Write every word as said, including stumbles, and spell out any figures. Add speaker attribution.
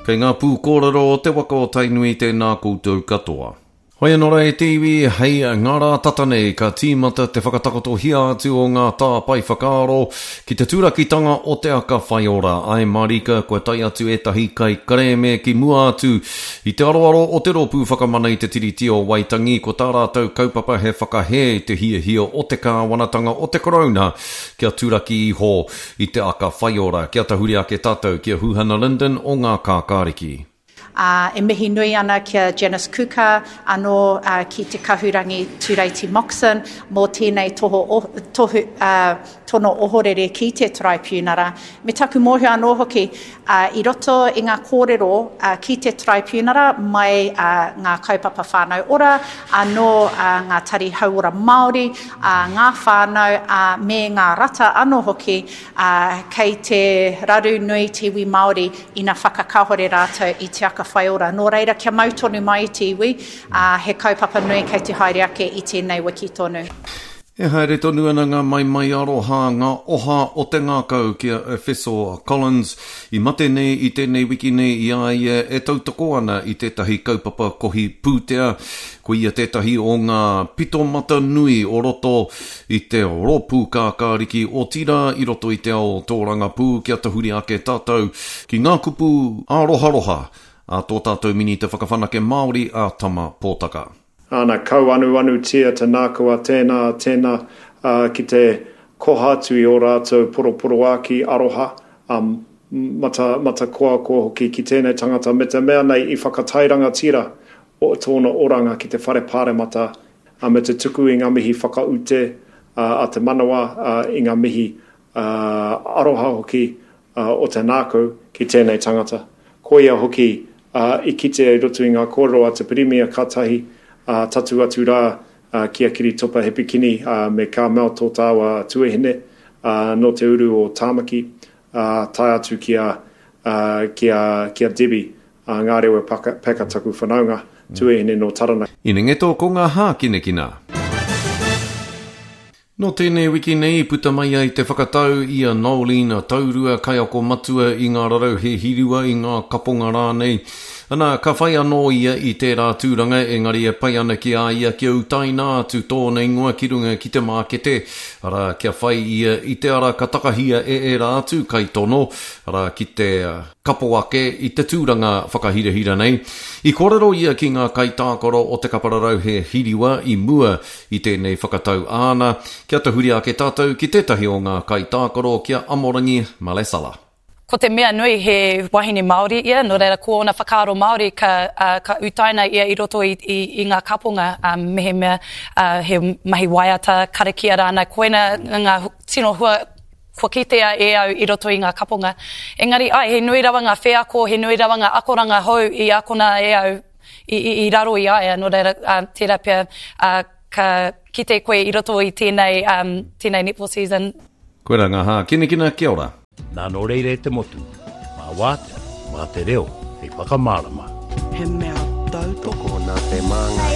Speaker 1: Kei ngā pūkōrero o te waka o Tainui tēnā koutou katoa. Hoi anō rā e te iwi, hei ngā rā tata nei ka tīmata te whakatakotohia atu o ngā tāpae whakaaro ki te turakitanga o te aka whaiora. Āe mārika kua tae atu ētahi kaikarēme ki mua atu i te aroaro o te Rōpū Whakamana i te Tiriti o Waitangi, ko tā rātou kaupapa he whakahē i te hiahia o te kāwanatanga o te Karauna kia turaki iho i te aka whaiora. Kia tahuri ake tātou ki a Huhana Lyndon o Ngā Kākāriki.
Speaker 2: Ā, e mihi nui ana ki a Janice Kuka, anō ki Te Kahurangi Tureiti Moxon mō tēnei toho, tohu, ā, tono ohorere ki te Taraipiunara. Me taku mōhio anō hoki, ā, i roto i ngā kōrero ki te Taraipiunara mai ngā kaupapa whānau ora, anō ngā tari hauora Māori, ā, ngā whānau, ā, me ngā rata anō hoki, ā, kei te raru nui te iwi Māori ina whakakāhore rātou i te aka whaiora. Nō reira, kia mau tonu mai i te iwi, ā, he kaupapa nui kei te haere ake i tēnei wiki tonu.
Speaker 1: E haere tonu ana ngā maimai aroha, ngā oha o te ngākau ki a Efeso Collins, i mate nei i tēnei wiki nei i a ia e tautoko ana i tētahi kaupapa kohi pūtea. Ko ia tētahi o ngā pito mata nui o roto i te rōpū kākāriki, otirā i roto i te ao tōrangapū kia tahuri ake tātou ki ngā kupu āroharoha a tō tātou Minita Whakawhanake Māori a Tama Potaka.
Speaker 3: Ana, kauanuanutia te nākau a tēnā, a tēnā, ā, ki te koha atu i ō rātou poroporoākī aroha, ā, mata, matakoakoa hoki ki tēnei tangata me te mea nei i whakatairangatira o tōna oranga ki te whare pāremata, ā, me te tuku i ngā mihi whakaute, ā, a te manawa, ā, i ngā mihi, ā, aroha hoki, ā, o te nākau ki tēnei tangata. Koia hoki, ā, i kitea i roto i ngā kōrero a te Pirimia kātahi, ā, tatū atu rā ki a Kiritopa Hepikini me Carmel tō tāua tuahine, ā, nō te uru o Tāmaki, ā, tae atu ki a, ā, ki a, ki a Debbie, ā, Ngārewa Packer taku whanaunga, tuahine nō Taranaki.
Speaker 1: Inengeto ko ngā hākinakina. Nō tēnei wiki nei i puta mai ai te whakatau i a Noeline Taurua, kaiako matua i ngā rarauhe hirua, i ngā kaponga rānei. Ana, ka whai anō ia i tērā tūranga, engari e pai ana ki a ia kia utaina atu tōna ingoa ki runga ki te mākete, arā, kia whai ia i te ara ka takahia e ērā atu kaitono, arā, ki te kapo ake i te tūranga whakahirahira nei. I kōrero ia ki ngā kaitākaro o te kapa rarauhe hiriwa i mua i tēnei whakatau āna, kia tahuri ake tātou ki tētahi o ngā kaitākaro ki a Amorangi Malesala.
Speaker 4: Ko te mea nui he wahine Māori ia, nō reira ko ōna whakaaro Māori ka, uh, ka utaina ia i roto i, i, i ngā kaponga, um, mehemea uh, he mahi waiata, karakia rānei, koina ngā tino hua kua kitea e au i roto i ngā kaponga. Engari, ai, he nui rawa ngā wheako, he nui rawa ngā akoranga hou i akona e au i, i, i raro i a ia, nō reira, uh, tērā pea, uh, ka kite koe i roto i tēnei, um, tēnei netball season.
Speaker 1: Koira ngā hākinakina, kia ora.
Speaker 5: Nā nō reira e te motu, mā wātea, mā te reo, hei whakamārama.
Speaker 6: He mea tautoko.
Speaker 7: Tokona te māngai.